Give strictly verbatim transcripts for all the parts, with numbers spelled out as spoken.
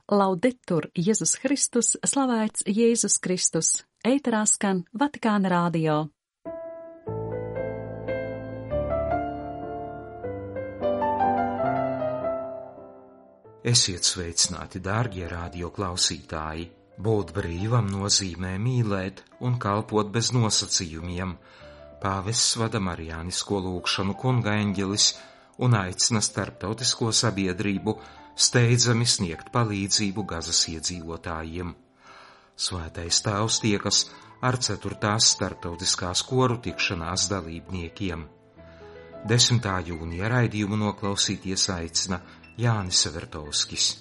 Laudetur Jēzus Kristus, slavēts Jēzus Kristus, ēterā skan Vatikāna radio. Esiet sveicināti, dārgie radio klausītāji! Būt brīvam nozīmē mīlēt un kalpot bez nosacījumiem. Pāvests vada marijānisko lūgšanu kunga eņģelis un aicina starptautisko sabiedrību steidzami sniegt palīdzību Gazas iedzīvotājiem. Svētais tēvs tiekas ar ceturtās starptautiskās koru tikšanās dalībniekiem. desmitā jūnija raidījumu noklausīties aicina Jānis Severtovskis.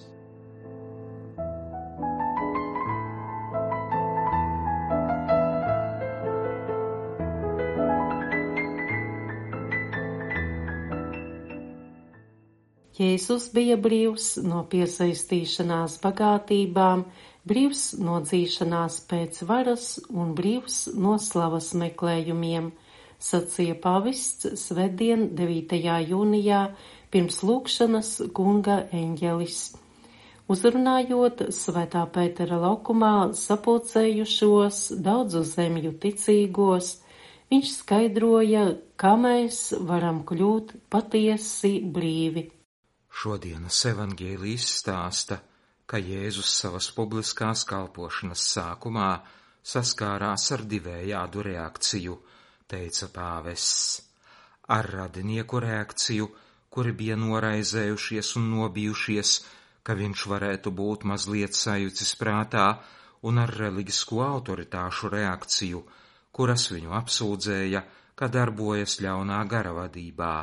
Jēzus bija brīvs no piesaistīšanās bagātībām, brīvs no dzīšanās pēc varas un brīvs no slavas meklējumiem, sacīja pāvests svētdien, devītajā jūnijā, pirms lūgšanas kunga eņģelis. Uzrunājot Svētā Pētera laukumā sapulcējušos daudzu zemju ticīgos, viņš skaidroja, kā mēs varam kļūt patiesi brīvi. Šodienas evaņģēlijs stāsta, ka Jēzus savas publiskās kalpošanas sākumā saskārās ar divējādu reakciju, teica pāvests. Ar radinieku reakciju, kuri bija noraizējušies un nobijušies, ka viņš varētu būt mazliet sajucis prātā, un ar reliģisko autoritāšu reakciju, kuras viņu apsūdzēja, ka darbojas ļaunā gara vadībā.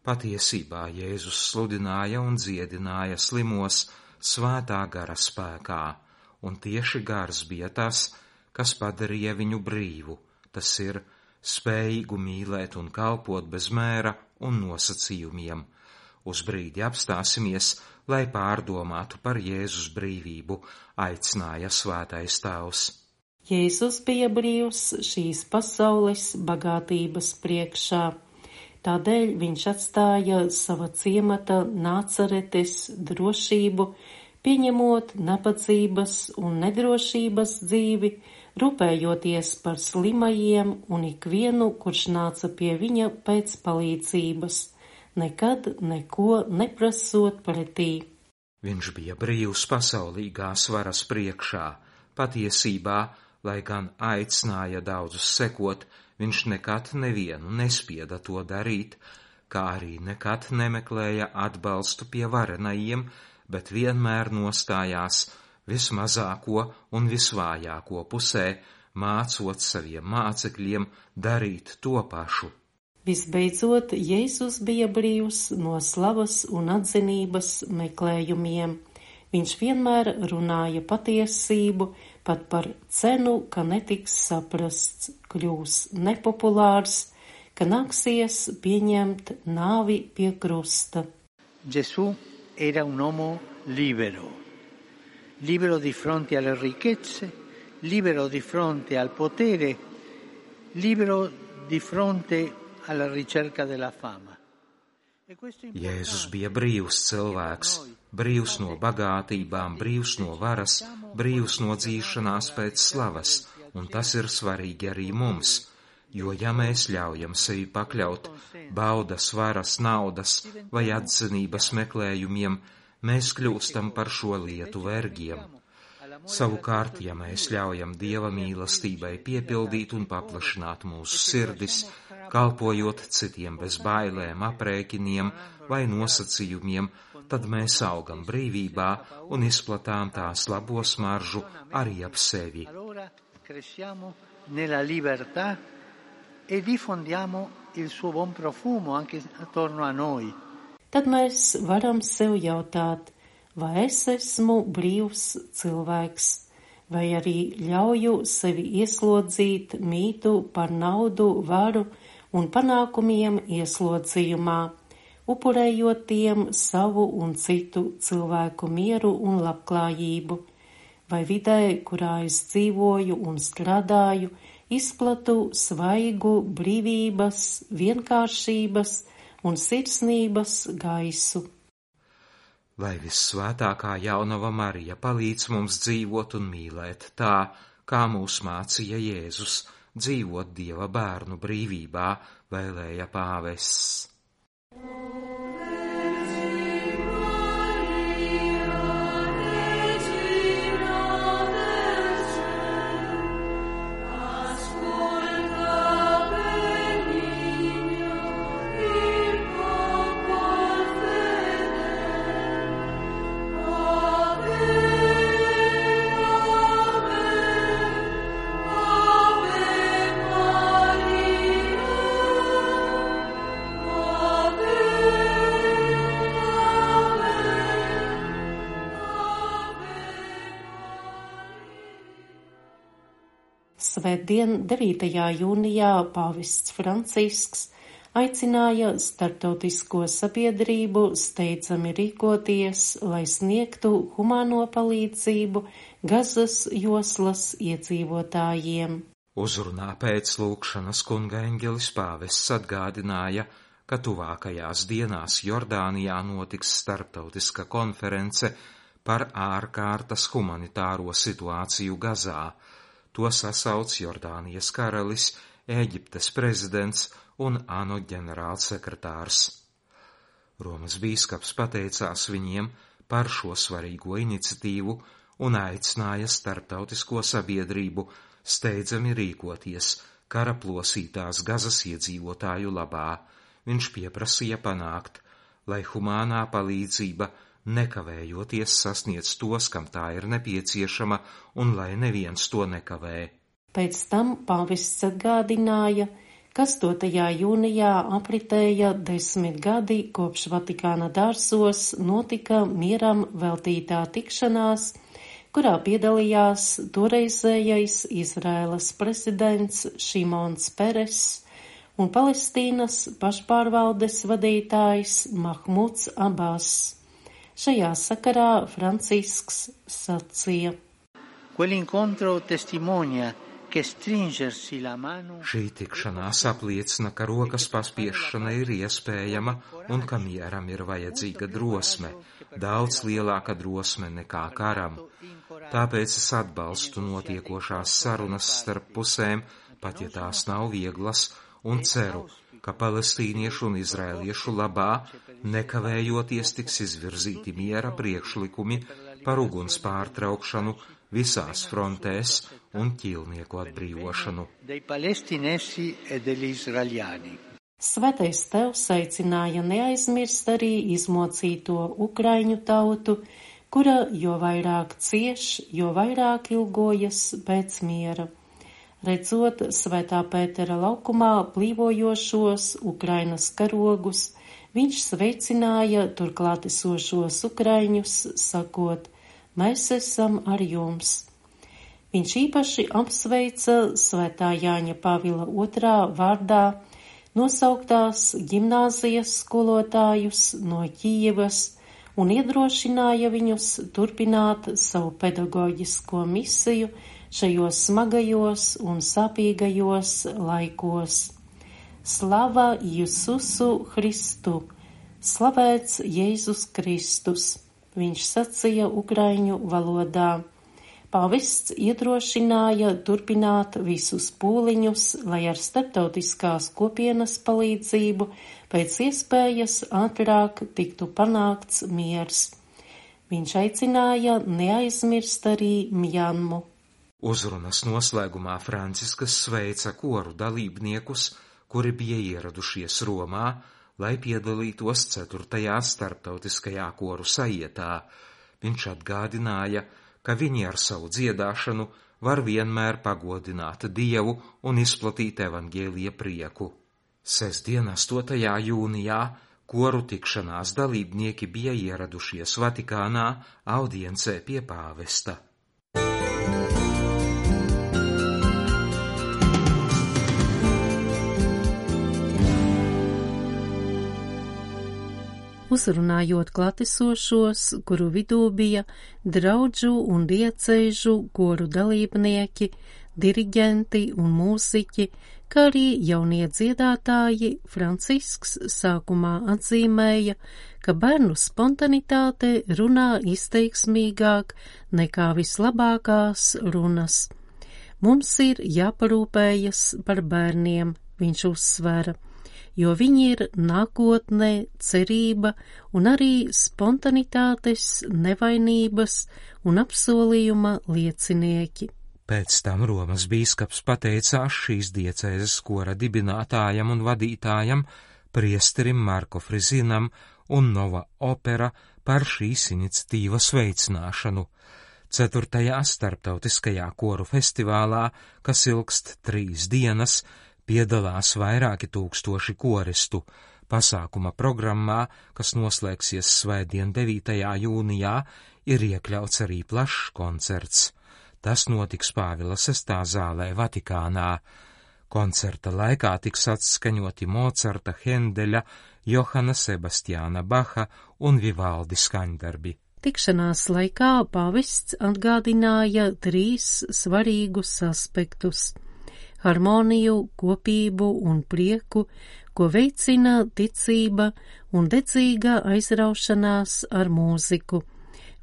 Patiesībā Jēzus sludināja un dziedināja slimos svētā gara spēkā, un tieši gars bija tas, kas padarīja viņu brīvu, tas ir spējīgu mīlēt un kalpot bez mēra un nosacījumiem. Uz brīdi apstāsimies, lai pārdomātu par Jēzus brīvību, aicināja svētais tēvs. Jēzus bija brīvs šīs pasaules bagātības priekšā. Tādēļ viņš atstāja sava ciemata Nācaretes drošību, pieņemot nabadzības un nedrošības dzīvi, rūpējoties par slimajiem un ikvienu, kurš nāca pie viņa pēc palīdzības, nekad neko neprasot pretī. Viņš bija brīvs pasaulīgās varas priekšā. Patiesībā, lai gan aicināja daudzus sekot, viņš nekad nevienu nespieda to darīt, kā arī nekad nemeklēja atbalstu pie varenajiem, bet vienmēr nostājās vismazāko un visvājāko pusē, mācot saviem mācekļiem darīt to pašu. Visbeidzot, Jēzus bija brīvs no slavas un atzinības meklējumiem. Viņš vienmēr runāja patiesību, pat par cenu, ka netiks saprasts, kļūs nepopulārs, ka nāksies pieņemt nāvi pie krusta. Gesù era un uomo libero, libero di fronte alle ricchezze, libero di fronte al potere, libero di fronte alla ricerca della fama. Jēzus bija brīvs cilvēks, brīvs no bagātībām, brīvs no varas, brīvs no dzīšanās pēc slavas, un tas ir svarīgi arī mums, jo ja mēs ļaujam sevi pakļaut baudas, varas, naudas vai atzinības meklējumiem, mēs kļūstam par šo lietu vergiem. Savukārt, ja mēs ļaujam Dieva mīlestībai piepildīt un paplašināt mūsu sirdis, kalpojot citiem bez bailēm, aprēķiniem vai nosacījumiem, tad mēs augam brīvībā un izplatām tās labo smaržu arī ap sevi. Tad mēs varam sev jautāt, vai es esmu brīvs cilvēks, vai arī ļauju sevi ieslodzīt mītu par naudu, varu un panākumiem ieslodzījumā, upurējot tiem savu un citu cilvēku mieru un labklājību, vai vidē, kurā es dzīvoju un strādāju, izplatu svaigu brīvības, vienkāršības un sirsnības gaisu. Lai vissvētākā jaunava Marija palīdz mums dzīvot un mīlēt tā, kā mūs mācīja Jēzus, dzīvot Dieva bērnu brīvībā, vēlēja pāvests. Svētdien, devītajā jūnijā, pāvests Francisks aicināja starptautisko sabiedrību steidzami rīkoties, lai sniegtu humāno palīdzību Gazas joslas iedzīvotājiem. Uzrunā pēc lūgšanas kunga eņģelis pāvests atgādināja, ka tuvākajās dienās Jordānijā notiks starptautiska konference par ārkārtas humanitāro situāciju Gazā. To sasauc Jordānijas karalis, Ēģiptes prezidents un ANO ģenerālsekretārs. Romas bīskaps pateicās viņiem par šo svarīgo iniciatīvu un aicināja starptautisko sabiedrību steidzami rīkoties kara plosītās Gazas iedzīvotāju labā. Viņš pieprasīja panākt, lai humānā palīdzība nekavējoties sasniedz tos, kam tā ir nepieciešama, un lai neviens to nekavē. Pēc tam pāvests atgādināja, ka astotajā jūnijā apritēja desmit gadi, kopš Vatikāna dārzos notika mieram veltītā tikšanās, kurā piedalījās toreizējais Izraēlas prezidents Šimons Peres un Palestīnas pašpārvaldes vadītājs Mahmuds Abbas. Šajā sakarā Francisks sacīja: Šī tikšanās apliecina, ka rokas paspiešana ir iespējama un ka mieram ir vajadzīga drosme, daudz lielāka drosme nekā karam. Tāpēc es atbalstu notiekošās sarunas starp pusēm, pat ja tās nav vieglas, un ceru, ka palestīniešu un izraēliešu labā nekavējoties tiks izvirzīti miera priekšlikumi par uguns pārtraukšanu visās frontēs un ķīlnieku atbrīvošanu. Svētais Tevs aicināja neaizmirst arī izmocīto ukraiņu tautu, kura jo vairāk cieš, jo vairāk ilgojas pēc miera. Redzot Svētā Pētera laukumā plīvojošos Ukrainas karogus, viņš sveicināja turklāt esošos ukraiņus, sakot: mēs esam ar jums. Viņš īpaši apsveica Svētā Jāņa Pāvila otrā vārdā nosauktās ģimnāzijas skolotājus no Kijevas un iedrošināja viņus turpināt savu pedagoģisko misiju šajos smagajos un sāpīgajos laikos. Slava Jesusu Christu! Slavēts Jēzus Kristus! Viņš sacīja ukraiņu valodā. Pāvests iedrošināja turpināt visus pūliņus, lai ar starptautiskās kopienas palīdzību pēc iespējas ātrāk tiktu panākts miers. Viņš aicināja neaizmirst arī Mjanmu. Uzrunas noslēgumā Franciskas sveica koru dalībniekus, kuri bija ieradušies Romā, lai piedalītos ceturtajā starptautiskajā koru sajietā. Viņš atgādināja, ka viņi ar savu dziedāšanu var vienmēr pagodināt Dievu un izplatīt evaņģēlija prieku. Sestdien, astotajā jūnijā, koru tikšanās dalībnieki bija ieradušies Vatikānā audiencē pie pāvesta. Uzrunājot klātesošos, kuru vidū bija draudžu un diecēžu koru dalībnieki, diriģenti un mūziķi, kā arī jaunie dziedātāji Francisks sākumā atzīmēja, ka bērnu spontanitāte runā izteiksmīgāk nekā vislabākās runas. Mums ir jāparūpējas par bērniem, viņš uzsvera, jo viņi ir nākotne, cerība un arī spontanitātes, nevainības un apsolījuma liecinieki. Pēc tam Romas bīskaps pateicās šīs diecēzes kora dibinātājam un vadītājam, priesterim Marko Frizinam un Nova Opera par šīs iniciatīvas veicināšanu. Ceturtajā starptautiskajā koru festivālā, kas ilgst trīs dienas, piedalās vairāki tūkstoši koristu. Pasākuma programmā, kas noslēgsies svētdien devītajā jūnijā, ir iekļauts arī plašs koncerts. Tas notiks Pāvila sestā zālē Vatikānā. Koncerta laikā tiks atskaņoti Mocarta, Hendeļa, Johana Sebastiāna Baha un Vivaldi skaņdarbi. Tikšanās laikā pāvests atgādināja trīs svarīgus aspektus – harmoniju, kopību un prieku, ko veicina ticība un dedzīga aizraušanās ar mūziku.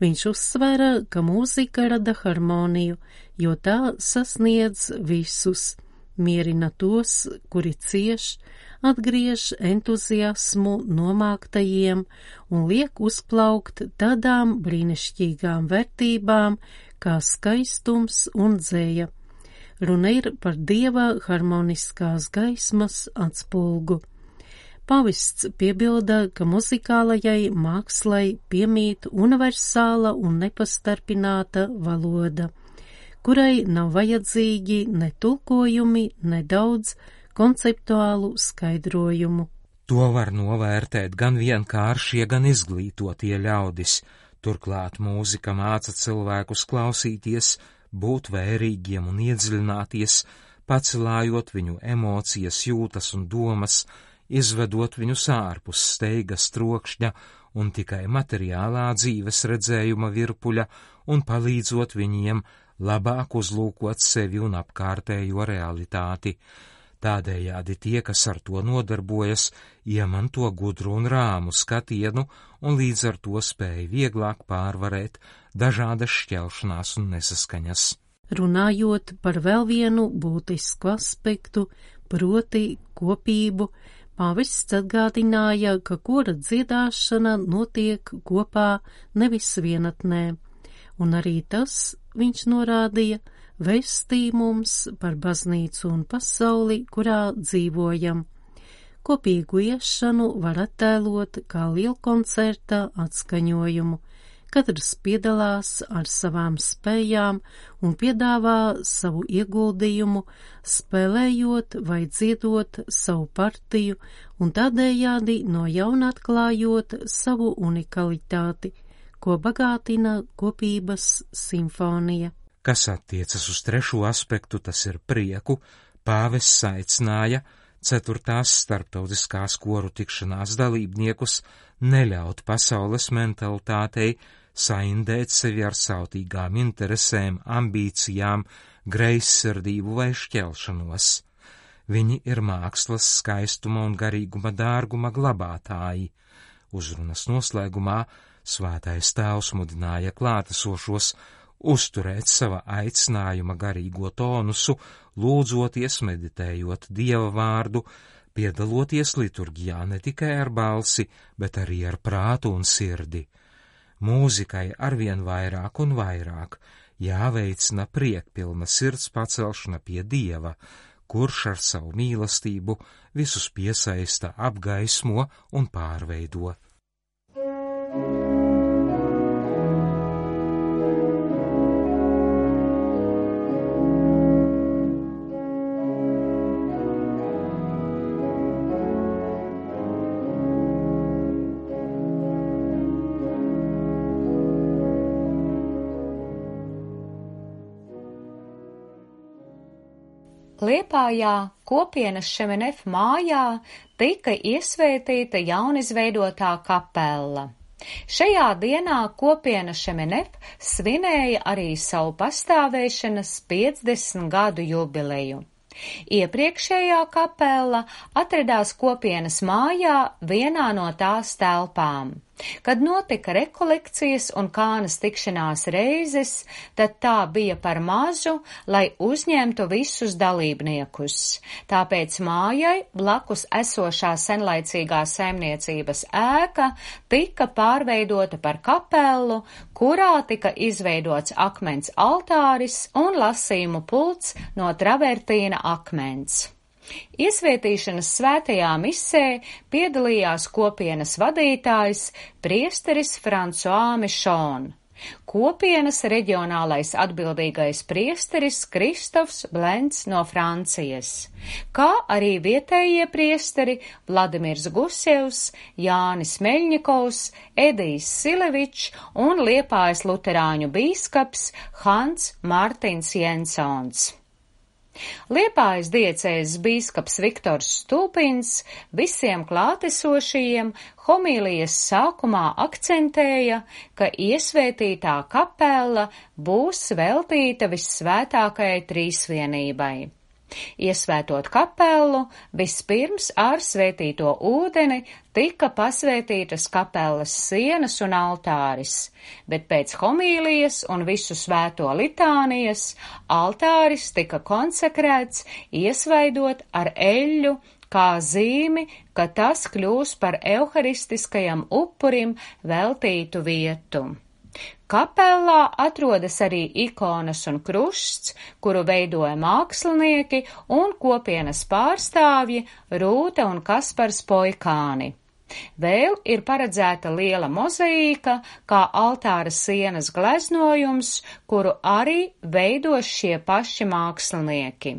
Viņš uzsvera, ka mūzika rada harmoniju, jo tā sasniedz visus, mierina tos, kuri cieš, atgriež entuziasmu nomāktajiem un liek uzplaukt tādām brīnišķīgām vērtībām kā skaistums un dzēja. Runa ir par Dieva harmoniskās gaismas atspulgu. Pavests piebilda, ka muzikālajai mākslai piemīt universāla un nepastarpināta valoda, kurai nav vajadzīgi ne tulkojumi, ne daudz konceptuālu skaidrojumu. To var novērtēt gan vienkāršie, gan izglītotie ļaudis. Turklāt mūzika māca cilvēkus klausīties, būt vērīgiem un iedziļināties, pacelājot viņu emocijas, jūtas un domas, izvedot viņus ārpus steigas trokšņa un tikai materiālā dzīves redzējuma virpuļa un palīdzot viņiem labāk uzlūkot sevi un apkārtējo realitāti. Tādējādi tie, kas ar to nodarbojas, iemanto gudru un rāmu skatienu un līdz ar to spēj vieglāk pārvarēt dažādas šķelšanās un nesaskaņas. Runājot par vēl vienu būtisku aspektu, proti kopību, pāvests atgādināja, ka kora dziedāšana notiek kopā, nevis vienatnē, un arī tas, viņš norādīja, vēstī mums par baznīcu un pasauli, kurā dzīvojam. Kopīgu iešanu var attēlot kā lielkoncerta atskaņojumu. Katrs piedalās ar savām spējām un piedāvā savu ieguldījumu, spēlējot vai dziedot savu partiju un tādējādi no jauna atklājot savu unikalitāti, ko bagātina kopības simfonija. Kas attiecas uz trešo aspektu, tas ir prieku, pāvests aicināja ceturtās starptautiskās koru tikšanās dalībniekus neļaut pasaules mentalitātei saindēt sevi ar sautīgām interesēm, ambīcijām, greizsirdību vai šķelšanos. Viņi ir mākslas skaistuma un garīguma dārguma glabātāji. Uzrunas noslēgumā Svētais Tēvs mudināja klātesošos uzturēt sava aicinājuma garīgo tonusu, lūdzoties, meditējot Dieva vārdu, piedaloties liturģijā ne tikai ar balsi, bet arī ar prātu un sirdi. Mūzikai arvien vairāk un vairāk jāveicina priekpilna sirds pacelšana pie Dieva, kurš ar savu mīlestību visus piesaista, apgaismo un pārveido. Liepājā kopienas Šemenef mājā tika iesvētīta jaunizveidotā kapella. Šajā dienā kopiena Šemenef svinēja arī savu pastāvēšanas piecdesmit gadu jubileju. Iepriekšējā kapela atradās kopienas mājā vienā no tās telpām. Kad notika rekolekcijas un kānas tikšanās reizes, tad tā bija par mazu, lai uzņemtu visus dalībniekus. Tāpēc mājai blakus esošā senlaicīgā saimniecības ēka tika pārveidota par kapelu, kurā tika izveidots akmens altāris un lasījumu pults no travertīna akmens. Iesvētīšanas svētajā misē piedalījās kopienas vadītājs priesteris François Michon, kopienas reģionālais atbildīgais priesteris Kristofs Blents no Francijas, kā arī vietējie priesteri Vladimirs Gusevs, Jānis Meļņikovs, Edijs Silevičs un Liepājas luterāņu bīskaps Hans Mārtiņš Jensons. Liepājas diecēzes bīskaps Viktors Stulpins visiem klātesošajiem homīlijas sākumā akcentēja, ka iesvētītā kapela būs veltīta vissvētākajai trīsvienībai. Iesvētot kapelu, vispirms ar svētīto ūdeni tika pasvētītas kapelas sienas un altāris, bet pēc homīlijas un visu svēto litānijas altāris tika konsekrēts, iesvaidot ar eļļu, kā zīmi, ka tas kļūs par euharistiskajam upurim veltītu vietu. Kapellā atrodas arī ikonas un krusts, kuru veidoja mākslinieki un kopienas pārstāvji Rūta un Kaspars Poikāni. Vēl ir paredzēta liela mozaīka, kā altāra sienas gleznojums, kuru arī veidos šie paši mākslinieki.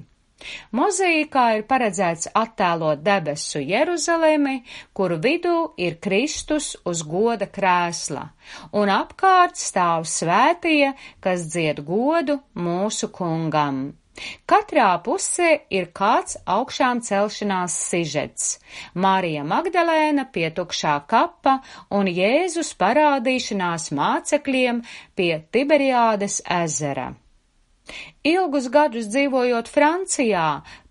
Mozaīkā ir paredzēts attēlot debesu Jeruzalemi, kuru vidū ir Kristus uz goda krēsla, un apkārt stāv svētie, kas dzied godu mūsu kungam. Katrā pusē ir kāds augšām celšanās sižets – Marija Magdalēna pie tukšā kapa un Jēzus parādīšanās mācekļiem pie Tiberiādes ezera. Ilgus gadus dzīvojot Francijā,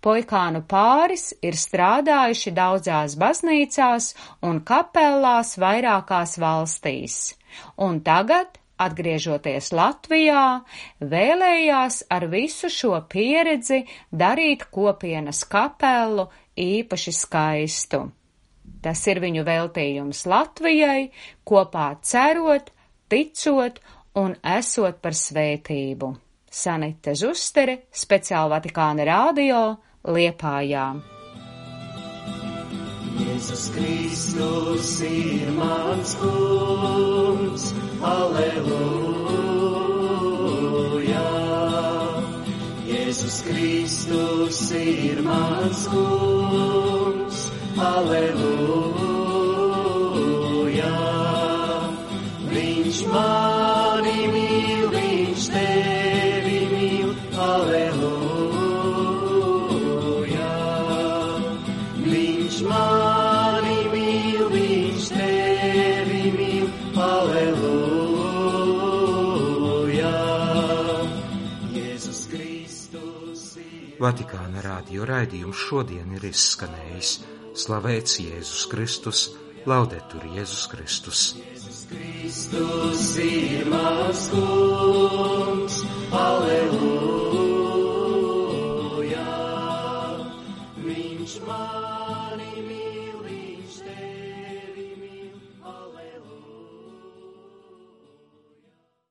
Poikānu pāris ir strādājuši daudzās baznīcās un kapellās vairākās valstīs, un tagad, atgriežoties Latvijā, vēlējās ar visu šo pieredzi darīt kopienas kapelu īpaši skaistu. Tas ir viņu veltījums Latvijai, kopā cerot, ticot un esot par svētību. Sanite Zustere, speciāli Vatikāna radio, Liepājā. Jēzus Kristus ir mans kungs, aleluja. Jēzus Kristus ir mans kungs, aleluja. Viņš mani mīl, viņš tevi mīl, aleluja. Viņš mani mīl, viņš tevi mīl, aleluja. Jēzus Kristus ir... Vatikāna radio raidījums šodien ir izskanējis. Slavēts Jēzus Kristus, laudetur Jēzus Kristus. Jēzus Kristus ir mans kungs.